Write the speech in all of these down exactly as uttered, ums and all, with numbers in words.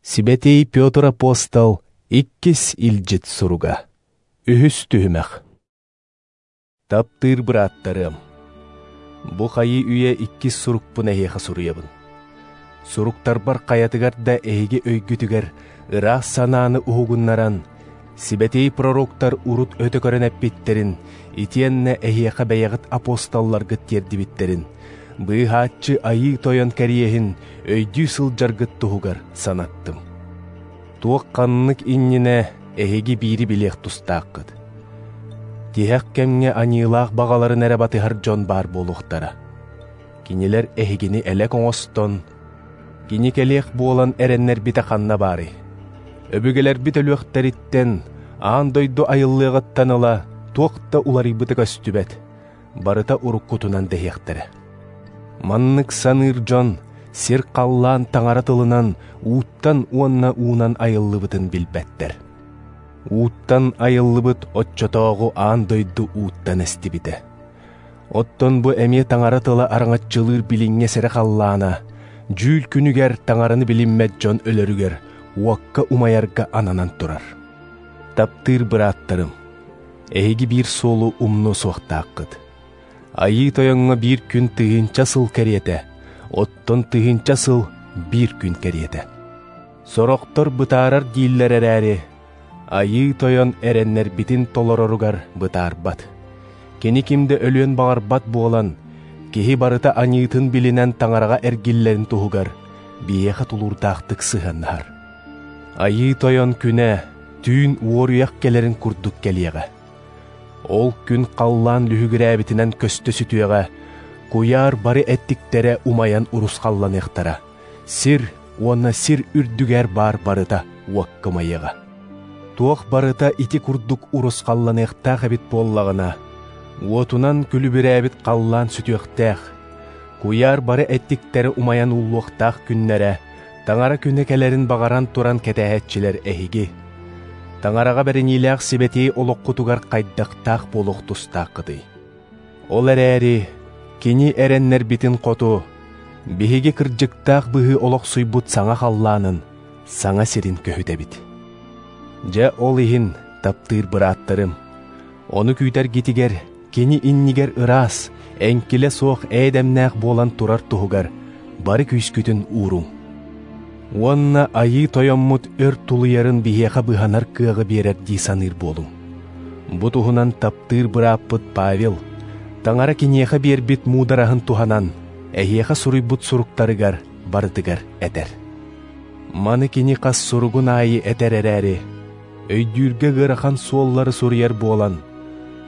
Сибэтий Петр апостол иккис илдьит суруга. Үһүс түһүмэх. Таптыыр бырааттарым, бу хайыы үйэ иккис сурукпун эһиэхэ суруйабын. Суруктарбар хайатыгар да эһиги өйгүтүгэр ыраас санааны уһугуннаран, сибэтий пророктар урут өтө көрөн эппиттерин, итиэннэ эһиэхэ бэйэҕит апостолларгыт тиэрдибиттерин, быыһааччы айыы тойон кэриэһин өйдүү сылдьаргыт туһугар санаттым. Туох ханнык иннинэ эһиги биири билиэх тустааххыт. Тиһэх кэмҥэ аньыылаах баҕаларын эрэ батыһар дьон баар буолуохтара. Кинилэр эһигини элэк оҥостон, кини кэлиэх буолан эрэннэрбитэ ханна баарый? Өбүгэлэрбит өлүөхтэриттэн, аан дойду айыллыаҕыттан ыла туох да уларыйбыта көстүбэт, барыта уруккутунан дэһиэхтэрэ. Маннык саныыр дьон сир халлаан таҥара тылынан ууттан уонна уунан айыллыбытын билбэттэр. Ууттан айыллыбыт оччотооҕу аан дойду ууттан эстибитэ. Оттон бу эмиэ таҥара тыла араҥаччылыыр билиҥҥэ сэрэ халлаана, дьүүл күнүгэр таҥараны билиммэт дьон өлөрүгэр уокка умайарга ананан турар. Таптыыр бырааттарым, эһиги биир суолу умнуо суохтааххыт. Айыы тойоҥҥо биир күн тыһыынча сыл кэриэтэ, оттон тыһыынча сыл биир күн кэриэтэ. Сорохтор бытаарар дииллэр эрээри, айыы тойон эрэннэрбитин толороругар бытаарбат. Кини ким да өлүөн баҕарбат буолан, киһи барыта аньыытын билинэн таҥараҕа эргиллэрин туһугар биһиэхэ тулуурдаахтык сыһыаннаһар. Айыы тойон күнэ түүн уоруйах кэлэрин курдук кэлиэҕэ. Ол күн халлаан лүһүгүрээбитинэн көстө сүтүөҕэ, куйаар бары эттиктэрэ умайан урусхалланыахтара, сир уонна сир үрдүгэр баар барыта уокка умайыаҕа. Туох барыта ити курдук урусхалланыахтаах эбит буоллаҕына, уотунан күлүбүрээбит халлаан сүтүөхтээх, куйаар бары эттиктэрэ умайан ууллуохтаах күннэрэ, таҥара күнэ кэлэрин баҕаран туран кэтээһэтчилэр эһиги. Таҥараҕа бэриниилээх сибэтий олоххутугар хайдахтаах буолуох тустааххытый. Ол эрээри, кини эрэннэрбитин хоту, биһиги кырдьыктаах быһыы олохсуйбут саҥа халлаанын, саҥа сирин көһүтэбит. Дьэ ол иһин, таптыыр бырааттарым, ону күүтэргитигэр, кини иннигэр ыраас, эҥкилэ суох ээдэмнээх буолан турар туһугар бары күүскүтүн ууруҥ. Уонна айыы тойоммут өр тулуйарын биһиэхэ быһанар кыаҕы биэрэр дии саныыр буолуҥ. Бу туһунан таптыыр бырааппыт Павел, таҥара киниэхэ биэрбит муудараһын туһанан, эһиэхэ суруйбут суруктарыгар барытыгар этэр. Маны кини хас суругун аайы этэр эрээри, өйдүүргэ ыарахан суоллары суруйар буолан,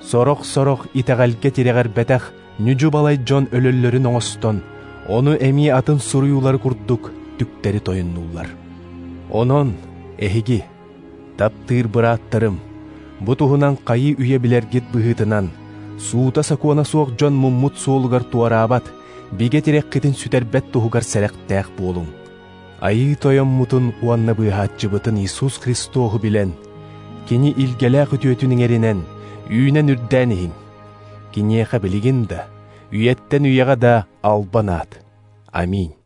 сорох-сорох итэҕэлгэ тирэҕэрбэтэх ньүдьү-балай дьон өлөллөрүн оҥостон, ону эмиэ атын суруйуулары курдук түктэри тойоннуллар. Онон, эһиги, таптыыр бырааттарым, бу туһунан хайыы үйэ билэргит быһыытынан, суута сокуона суох дьон муммут суолугар туораабат, бигэ тирэххитин сүтэрбэт туһугар сэрэхтээх буолуҥ. Айыы тойоммутун уонна быыһааччыбытын Иисус Христоһу билэн, кини илгэлээх үтүөтүн иҥэринэн, үүнэн үрдээн иһиҥ. Киниэхэ билигин да, үйэттэн үйэҕэ да албан аат. Аминь.